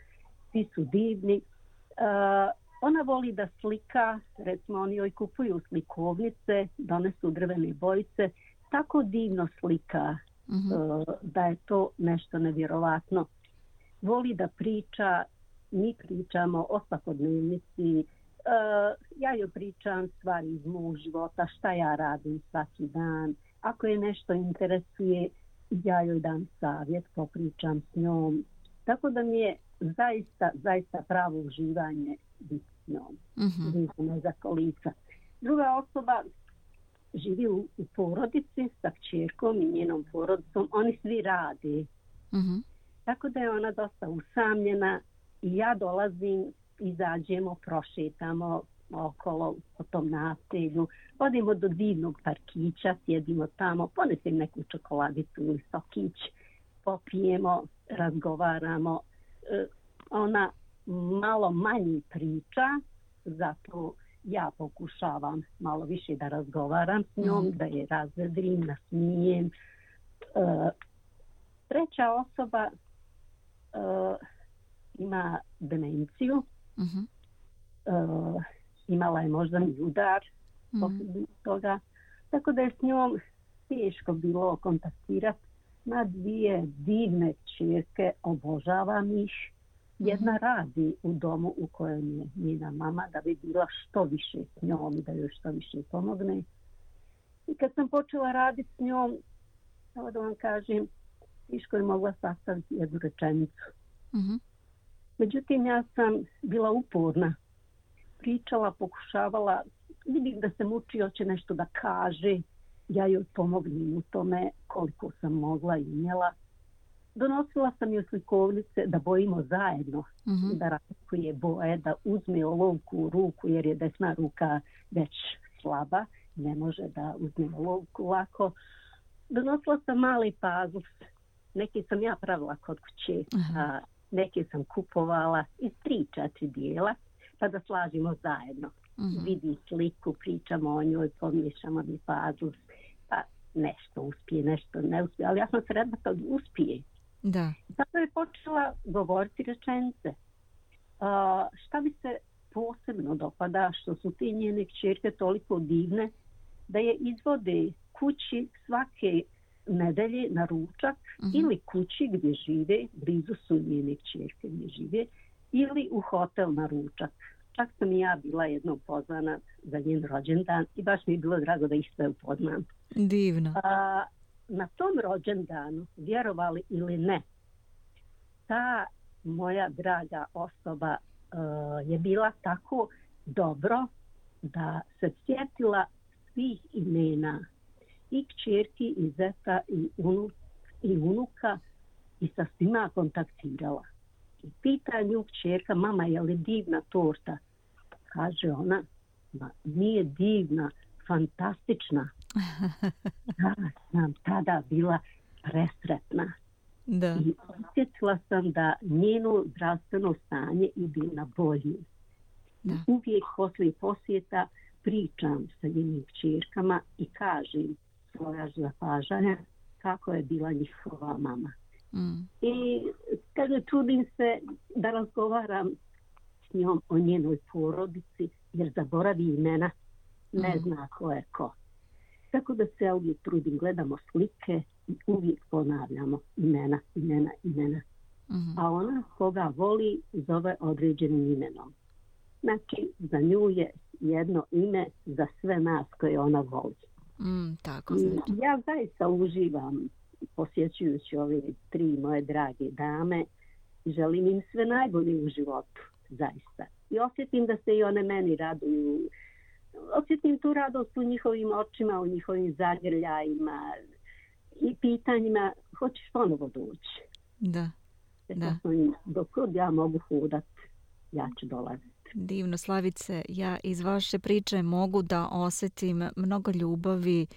I: Svi su divni. Uh, ona voli da slika, recimo oni joj kupuju slikovnice, donesu drvene bojice, tako divno slika mm-hmm. uh, da je to nešto nevjerovatno. Voli da priča, mi pričamo o svakodnevnici, uh, ja joj pričam stvari iz mog života, šta ja radim svaki dan. Ako je nešto interesuje, ja joj dam savjet, popričam s njom. Tako da mi je zaista, zaista pravo uživanje biti s njom. Mm-hmm. Za kolica. Druga osoba živi u, u porodici sa kćerkom i njenom porodicom. Oni svi rade. Mm-hmm. Tako da je ona dosta usamljena i ja dolazim, izađemo, prošetamo okolo po tom naselju. Odimo do divnog parkića, sjedimo tamo, ponesem neku čokoladicu ili sokić, popijemo, razgovaramo. E, ona malo manje priča, zato ja pokušavam malo više da razgovaram s njom, da je razvedrim, nasmijem. E, treća osoba e, ima demenciju. Mm-hmm. E, imala je moždani udar mm-hmm. posljednjeg toga. Tako da je s njom teško bilo kontaktirati. Na dvije divne kćerke, obožavam ih. Jedna radi u domu u kojem je njena mama da bi bila što više s njom i da joj što više pomogne. I kad sam počela raditi s njom, evo da vam kažem, teško je mogla sastaviti jednu rečenicu. Mm-hmm. Međutim, ja sam bila uporna. Pričala, pokušavala, vidim da se muči, hoće nešto da kaže. Ja joj pomognem u tome koliko sam mogla i imjela. Donosila sam joj slikovnice da bojimo zajedno, mm-hmm. da razlikuje boje, da uzme olovku u ruku jer je desna ruka već slaba, ne može da uzme olovku lako. Donosila sam mali puzzle, neke sam ja pravila kod kuće, uh-huh. a neke sam kupovala iz tri, četiri dijela, pa da slažimo zajedno. Uh-huh. Vidi sliku, pričamo o njoj, pomiješamo mi puzzle, pa nešto uspije, nešto ne uspije, ali ja sam sretna kad uspije.
A: Da.
I: Zato je počela govoriti rečenice. Uh, šta bi se posebno dopada, što su te njene kćerke toliko divne, da je izvode kući svake nedelje na ručak uh-huh. ili kući gdje žive, blizu su njene kćerke gdje žive, ili u hotel na ručak. Čak sam i ja bila jednom pozvana za njen rođendan i baš mi je bilo drago da ih sve upoznam.
A: Divno.
I: Uh, Na tom rođendanu, vjerovali ili ne, ta moja draga osoba uh, je bila tako dobro da se sjetila svih imena i kćerki, i zeta, i, unu, i unuka i sa svima kontaktirala. I pita nju kćerka, mama, je li divna torta? Kaže ona, ma nije divna, fantastična. Ja sam tada bila presretna.
A: Da.
I: I osjetila sam da njeno zdravstveno stanje ide na bolje. Uvijek poslije posjeta pričam sa njenim kćerkama i kažem svoja zapažanja kako je bila njihova mama. Mm. I kaže, čudim se da razgovaram s njom o njenoj porodici jer zaboravi imena, ne mm. zna ko je ko. Tako da se ja uvijek trudim, gledamo slike i uvijek ponavljamo imena, imena, imena. Mm-hmm. A ona koga voli zove određenim imenom. Znači, za nju je jedno ime za sve nas koje ona voli.
A: Mm, tako znači.
I: Ja zaista uživam posjećujući ove tri moje drage dame i želim im sve najbolje u životu, zaista. I osjetim da se i one meni raduju. Osjetim tu radost u njihovim očima, u njihovim zagrljajima i pitanjima, hoćeš ponovo doći?
A: Da, da.
I: Dok ja mogu hudat, ja ću dolaziti.
A: Divno, Slavice, ja iz vaše priče mogu da osjetim mnogo ljubavi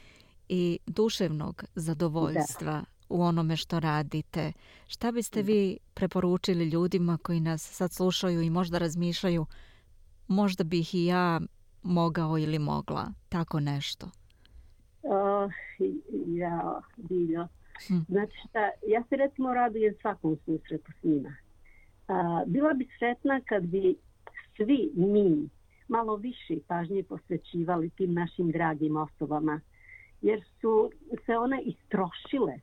A: i duševnog zadovoljstva da. U onome što radite. Šta biste vi preporučili ljudima koji nas sad slušaju i možda razmišljaju, možda bih i ja mogao ili mogla tako nešto?
I: Uh, ja, Biljo. Hm. Znači šta, ja se recimo radujem svakom susretu s njima. Uh, bila bi sretna kad bi svi mi malo više pažnje posvećivali tim našim dragim osobama, jer su se one istrošile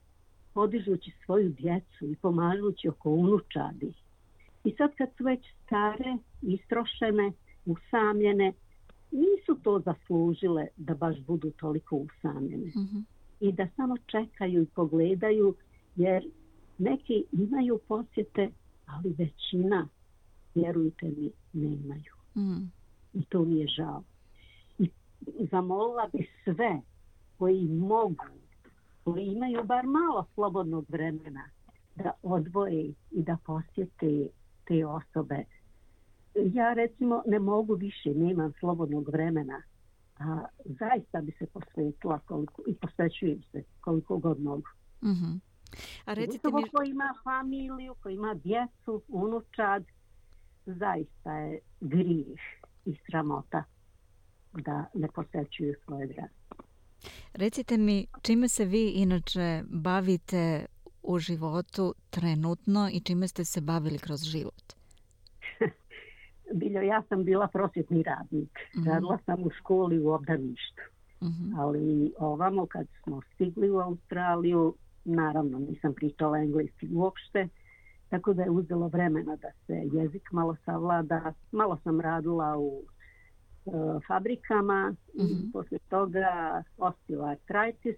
I: podižući svoju djecu i pomažući oko unučadi. I sad kad su već stare, istrošene, usamljene, nisu to zaslužile da baš budu toliko usamljene. Mm-hmm. I da samo čekaju i pogledaju, jer neki imaju posjete, ali većina, vjerujte mi, nemaju. Mm. I to mi je žao. I zamolila bi sve koji mogu, koji imaju bar malo slobodnog vremena, da odvoje i da posjete te osobe. Ja recimo ne mogu više, nemam slobodnog vremena, a zaista bi se posvetila koliko, i posvećujem se koliko god mogu.
A: Mm-hmm. A recite mi...
I: Ko ima familiju, ko ima djecu, unučad, zaista je grijeh i sramota da ne posvećuju svoje drage.
A: Recite mi, čime se vi inače bavite u životu trenutno i čime ste se bavili kroz život?
I: Biljo, ja sam bila prosvjetni radnik. Mm-hmm. Radila sam u školi u obdaništu. Mm-hmm. Ali ovamo kad smo stigli u Australiju, naravno nisam pričala engleski uopšte, tako da je uzelo vremena da se jezik malo savlada. Malo sam radila u uh, fabrikama, mm-hmm. i posle toga osteoartritis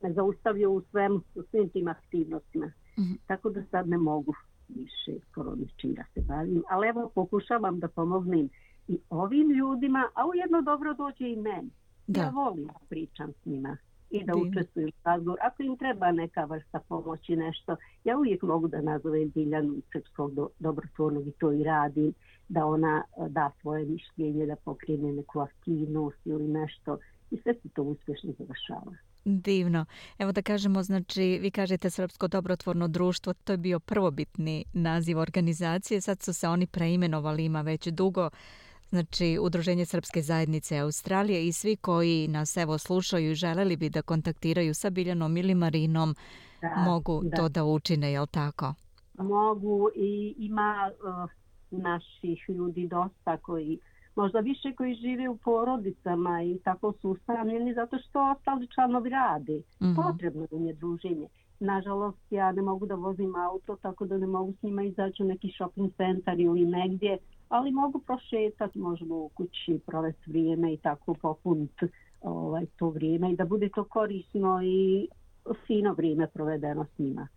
I: me zaustavio u svem, u svim tim aktivnostima. Mm-hmm. Tako da sad ne mogu više skoro ničim da se bavim, ali evo pokušavam da pomognem i ovim ljudima, a ujedno dobro dođe i meni. Da. Ja volim da pričam s njima i da Divno. Učestvujem u razgovoru. Ako im treba neka vrsta pomoći, nešto, ja uvijek mogu da nazovem Biljanu iz Srpskog do, dobrotvornog i to i radim, da ona da svoje mišljenje, da pokrene neku aktivnost ili nešto i sve se to uspješno završava.
A: Divno. Evo da kažemo, znači, vi kažete Srpsko dobrotvorno društvo, to je bio prvobitni naziv organizacije, sad su se oni preimenovali, ima već dugo, znači Udruženje Srpske zajednice Australije i svi koji nas evo slušaju i želeli bi da kontaktiraju sa Biljanom ili Marinom, da, mogu da. to da učine, jel tako?
I: Mogu i ima uh, naših ljudi dosta koji možda više koji žive u porodicama i tako su usamljeni zato što ostali članovi rade. Mm-hmm. Potrebno im je druženje. Nažalost, ja ne mogu da vozim auto, tako da ne mogu s njima izaći u neki shopping centar ili negdje, ali mogu prošetati, možemo u kući provesti vrijeme i tako popuniti ovaj, to vrijeme i da bude to korisno i fino vrijeme provedeno s njima.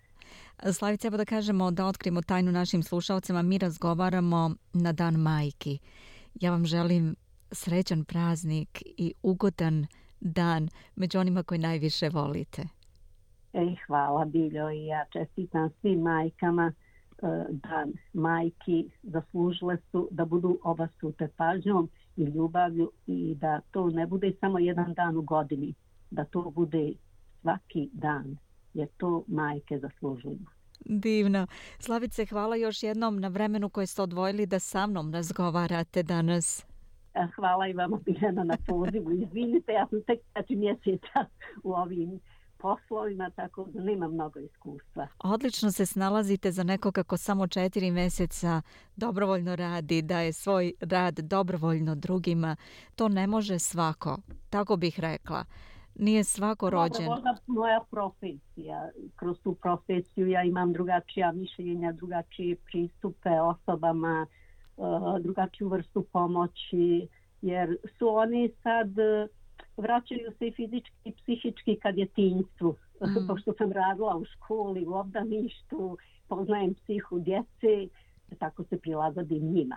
A: Slavice, evo da kažemo, da otkrijemo tajnu našim slušalcima, mi razgovaramo na Dan majki. Ja vam želim srećan praznik i ugodan dan među onima koji najviše volite.
I: Ej, hvala Biljo i ja čestitam svim majkama. Dan majki zaslužile su da budu obasute pažnjom i ljubavlju i da to ne bude samo jedan dan u godini, da to bude svaki dan, jer to majke zaslužuju.
A: Divno. Slavice, hvala još jednom na vremenu koje ste odvojili da sa mnom razgovarate danas.
I: Hvala i vama, Biljana, na pozivu. Izvinite, ja sam tek četiri mjeseca u ovim poslovima, tako da nema mnogo iskustva.
A: Odlično se snalazite za nekoga ko samo četiri mjeseca dobrovoljno radi, daje svoj rad dobrovoljno drugima. To ne može svako, tako bih rekla. Nije svako rođen.
I: Ovo je moja profesija. Kroz tu profesiju ja imam drugačija mišljenja, drugačije pristupe osobama, drugačiju vrstu pomoći, jer su oni sad vraćaju se i fizički i psihički kad je tinjstvu mm. pošto sam radila u školi, u obdaništu, poznajem psihu djece, tako se prilagodim njima.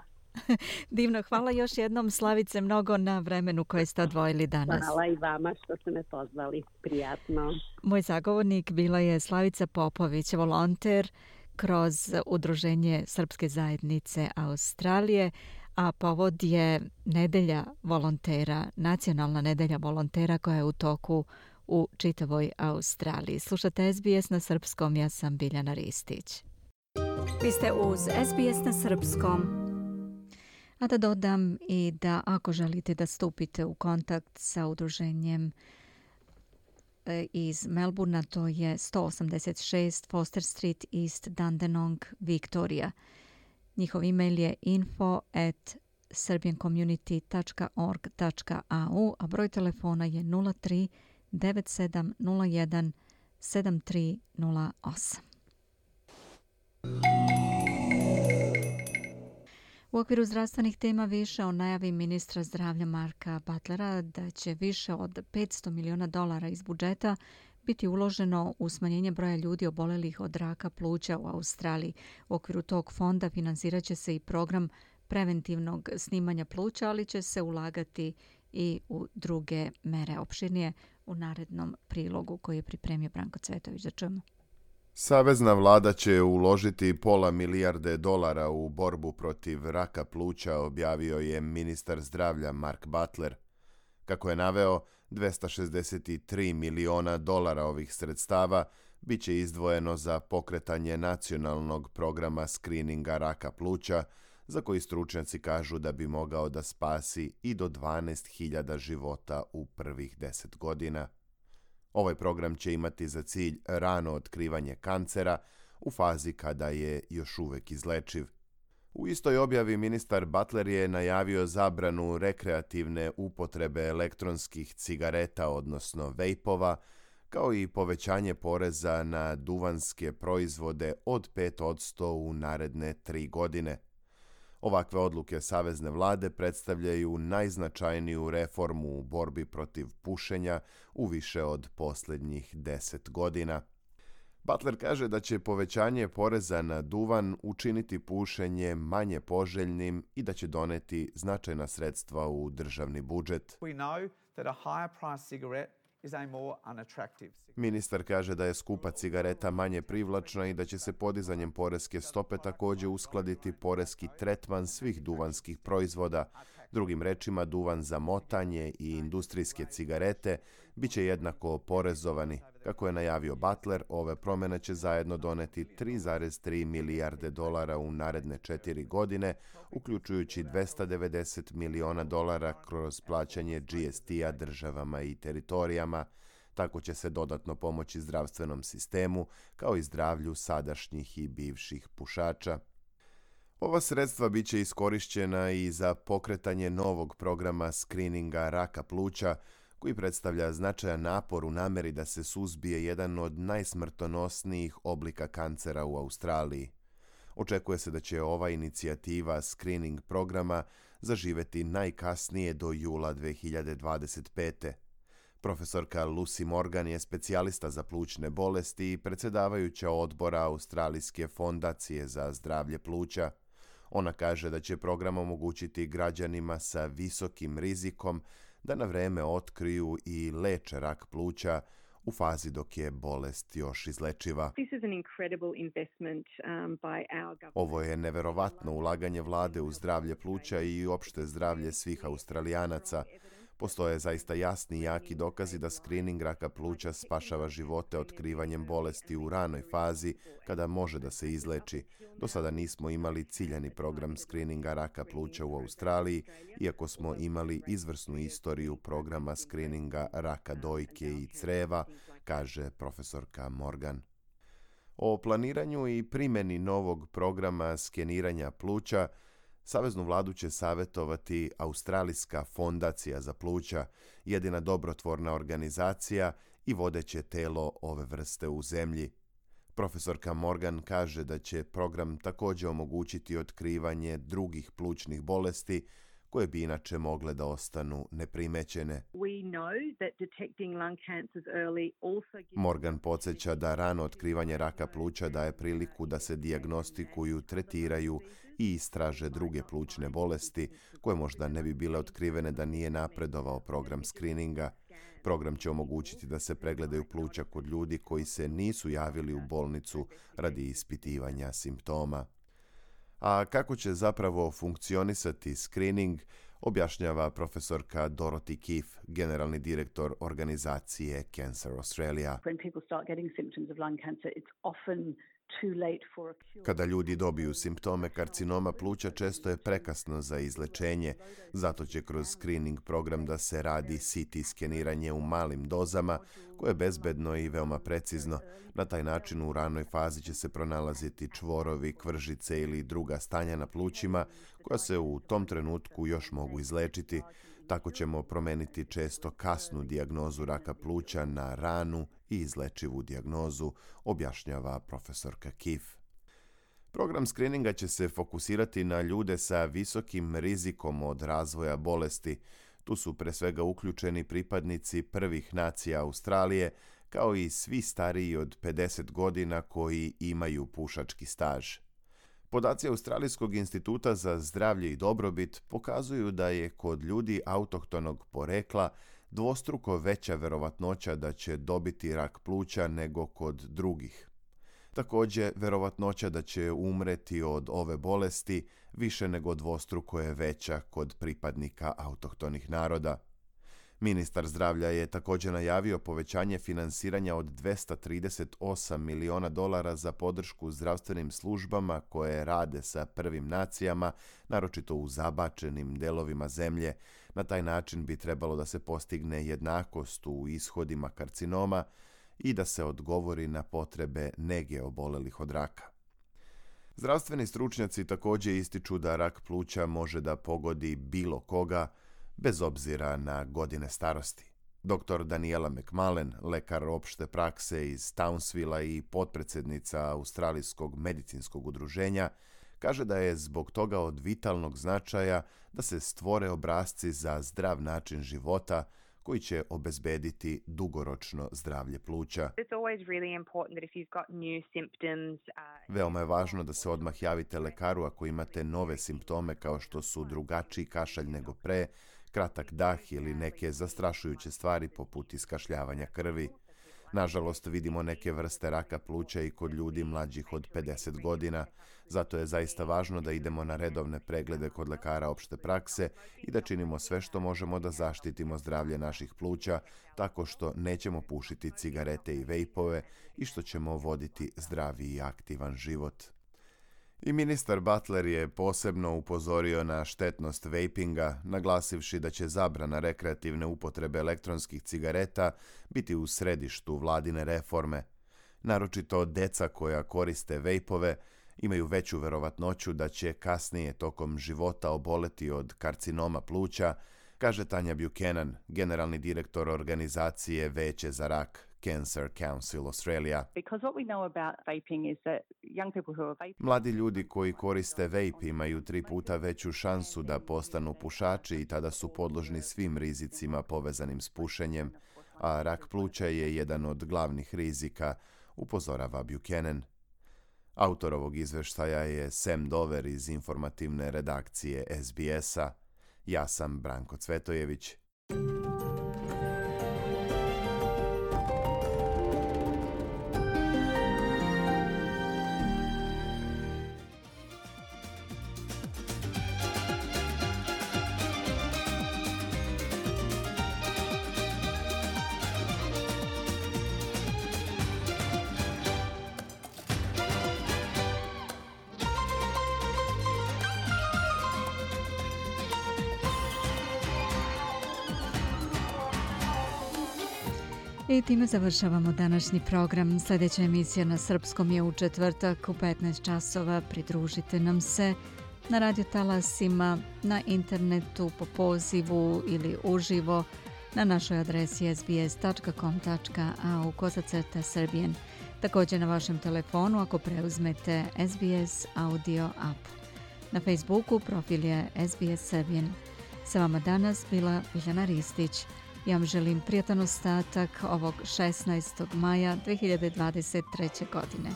A: Divno, hvala još jednom Slavice mnogo na vremenu koje ste odvojili danas.
I: Hvala i vama što ste me pozvali, prijatno.
A: Moj zagovornik bila je Slavica Popović, volonter kroz Udruženje Srpske zajednice Australije, a povod je nedelja volontera, nacionalna nedelja volontera koja je u toku u čitavoj Australiji. Slušate S B S na srpskom, ja sam Biljana Ristić. Vi ste uz S B S na srpskom. A da dodam i da ako želite da stupite u kontakt sa udruženjem iz Melburna, to je sto osamdeset šest Foster Street, East Dandenong, Victoria. Njihov e-mail je info at serbian community dot org dot a u, a broj telefona je nula tri devet sedam nula jedan sedam tri nula osam. U okviru zdravstvenih tema više o najavi ministra zdravlja Marka Butlera da će više od petsto miliona dolara iz budžeta biti uloženo u smanjenje broja ljudi obolelih od raka pluća u Australiji. U okviru tog fonda finansirat će se i program preventivnog snimanja pluća, ali će se ulagati i u druge mere. Opširnije u narednom prilogu koji je pripremio Branko Cvetović. Da čujemo.
E: Savezna vlada će uložiti pola milijarde dolara u borbu protiv raka pluća, objavio je ministar zdravlja Mark Butler. Kako je naveo, dvesta šezdeset tri miliona dolara ovih sredstava bit će izdvojeno za pokretanje nacionalnog programa skrininga raka pluća, za koji stručnjaci kažu da bi mogao da spasi i do dvanaest hiljada života u prvih deset godina. Ovaj program će imati za cilj rano otkrivanje kancera u fazi kada je još uvek izlečiv. U istoj objavi ministar Butler je najavio zabranu rekreativne upotrebe elektronskih cigareta, odnosno vejpova, kao i povećanje poreza na duvanske proizvode od pet posto u naredne tri godine. Ovakve odluke savezne vlade predstavljaju najznačajniju reformu u borbi protiv pušenja u više od posljednjih deset godina. Butler kaže da će povećanje poreza na duvan učiniti pušenje manje poželjnim i da će doneti značajna sredstva u državni budžet. Ministar kaže da je skupa cigareta manje privlačna i da će se podizanjem poreske stope također uskladiti poreski tretman svih duvanskih proizvoda. Drugim rečima, duvan za motanje i industrijske cigarete bit će jednako porezovani. Kako je najavio Butler, ove promjene će zajedno doneti tri zarez tri milijarde dolara u naredne četiri godine, uključujući dvesta devedeset miliona dolara kroz plaćanje G S T-a državama i teritorijama. Tako će se dodatno pomoći zdravstvenom sistemu, kao i zdravlju sadašnjih i bivših pušača. Ova sredstva bit će iskorišćena i za pokretanje novog programa skrininga raka pluća, koji predstavlja značajan napor u nameri da se suzbije jedan od najsmrtonosnijih oblika kancera u Australiji. Očekuje se da će ova inicijativa skrining programa zaživeti najkasnije do jula dve hiljade dvadeset pete. Profesorka Lucy Morgan je specijalista za plućne bolesti i predsjedavajuća odbora Australijske fondacije za zdravlje pluća. Ona kaže da će program omogućiti građanima sa visokim rizikom da na vreme otkriju i leče rak pluća u fazi dok je bolest još izlečiva. Ovo je neverovatno ulaganje vlade u zdravlje pluća i opšte zdravlje svih Australijanaca. Postoje zaista jasni i jaki dokazi da skrining raka pluća spašava živote otkrivanjem bolesti u ranoj fazi kada može da se izleči. Do sada nismo imali ciljani program skrininga raka pluća u Australiji, iako smo imali izvrsnu istoriju programa skrininga raka dojke i creva, kaže profesorka Morgan. O planiranju i primjeni novog programa skeniranja pluća Saveznu vladu će savjetovati Australijska fondacija za pluća, jedina dobrotvorna organizacija i vodeće telo ove vrste u zemlji. Profesorka Morgan kaže da će program također omogućiti otkrivanje drugih plućnih bolesti koje bi inače mogle da ostanu neprimećene. Morgan podsjeća da rano otkrivanje raka pluća daje priliku da se dijagnostikuju, tretiraju i istraže druge plućne bolesti koje možda ne bi bile otkrivene da nije napredovao program skrininga. Program će omogućiti da se pregledaju pluća kod ljudi koji se nisu javili u bolnicu radi ispitivanja simptoma. A kako će zapravo funkcionisati screening, objašnjava profesorka Dorothy Keefe, generalni direktor organizacije Cancer Australia. Kada ljudi dobiju simptome karcinoma pluća, često je prekasno za izlečenje, zato će kroz screening program da se radi C T skeniranje u malim dozama, koje je bezbedno i veoma precizno. Na taj način u ranoj fazi će se pronalaziti čvorovi, kvržice ili druga stanja na plućima, koja se u tom trenutku još mogu izlečiti. Tako ćemo promeniti često kasnu dijagnozu raka pluća na ranu i izlečivu dijagnozu, objašnjava profesorka Keefe. Program skrininga će se fokusirati na ljude sa visokim rizikom od razvoja bolesti. Tu su pre svega uključeni pripadnici prvih nacija Australije, kao i svi stariji od pedeset godina koji imaju pušački staž. Podaci Australijskog instituta za zdravlje i dobrobit pokazuju da je kod ljudi autohtonog porekla dvostruko veća verovatnoća da će dobiti rak pluća nego kod drugih. Također, verovatnoća da će umreti od ove bolesti više nego dvostruko je veća kod pripadnika autohtonih naroda. Ministar zdravlja je također najavio povećanje finansiranja od dvesta trideset osam miliona dolara za podršku zdravstvenim službama koje rade sa prvim nacijama, naročito u zabačenim delovima zemlje. Na taj način bi trebalo da se postigne jednakost u ishodima karcinoma i da se odgovori na potrebe nege obolelih od raka. Zdravstveni stručnjaci također ističu da rak pluća može da pogodi bilo koga, bez obzira na godine starosti. doktor Daniela McMullen, lekar opšte prakse iz Townsvilla i potpredsjednica Australijskog medicinskog udruženja, kaže da je zbog toga od vitalnog značaja da se stvore obrasci za zdrav način života koji će obezbediti dugoročno zdravlje pluća. Veoma je važno da se odmah javite lekaru ako imate nove simptome kao što su drugačiji kašalj nego pre, kratak dah ili neke zastrašujuće stvari poput iskašljavanja krvi. Nažalost, vidimo neke vrste raka pluća i kod ljudi mlađih od pedeset godina, zato je zaista važno da idemo na redovne preglede kod lekara opšte prakse i da činimo sve što možemo da zaštitimo zdravlje naših pluća, tako što nećemo pušiti cigarete i vejpove i što ćemo voditi zdravi i aktivan život. I ministar Butler je posebno upozorio na štetnost vejpinga, naglasivši da će zabrana rekreativne upotrebe elektronskih cigareta biti u središtu vladine reforme. Naročito deca koja koriste vejpove imaju veću verovatnoću da će kasnije tokom života oboleti od karcinoma pluća, kaže Tanja Buchanan, generalni direktor organizacije Veće za rak, Cancer Council Australia. Mladi ljudi koji koriste vape imaju tri puta veću šansu da postanu pušači i tada su podložni svim rizicima povezanim s pušenjem, a rak pluća je jedan od glavnih rizika, upozorava Buchanan. Autor ovog izveštaja je Sam Dover iz informativne redakcije S B S-a. Ja sam Branko Cvetojević.
A: I time završavamo današnji program. Sljedeća emisija na srpskom je u četvrtak u petnaest časova. Pridružite nam se na radio talasima, na internetu, po pozivu ili uživo na našoj adresi s b s tačka com tačka a u kosacrta Serbian. Također na vašem telefonu ako preuzmete S B S audio app. Na Facebooku profil je S B S Serbian. Sa vama danas bila Biljana Ristić. Ja vam želim prijatan ostatak ovog šesnaestog maja dve hiljade dvadeset treće. godine.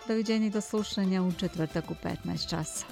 A: Doviđenja i do slušanja u četvrtak u petnaest časa.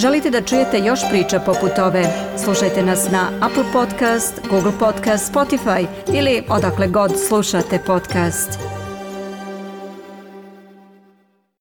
J: Želite da čujete još priča poput ove? Slušajte nas na Apple Podcast, Google Podcast, Spotify ili odakle god slušate podcast.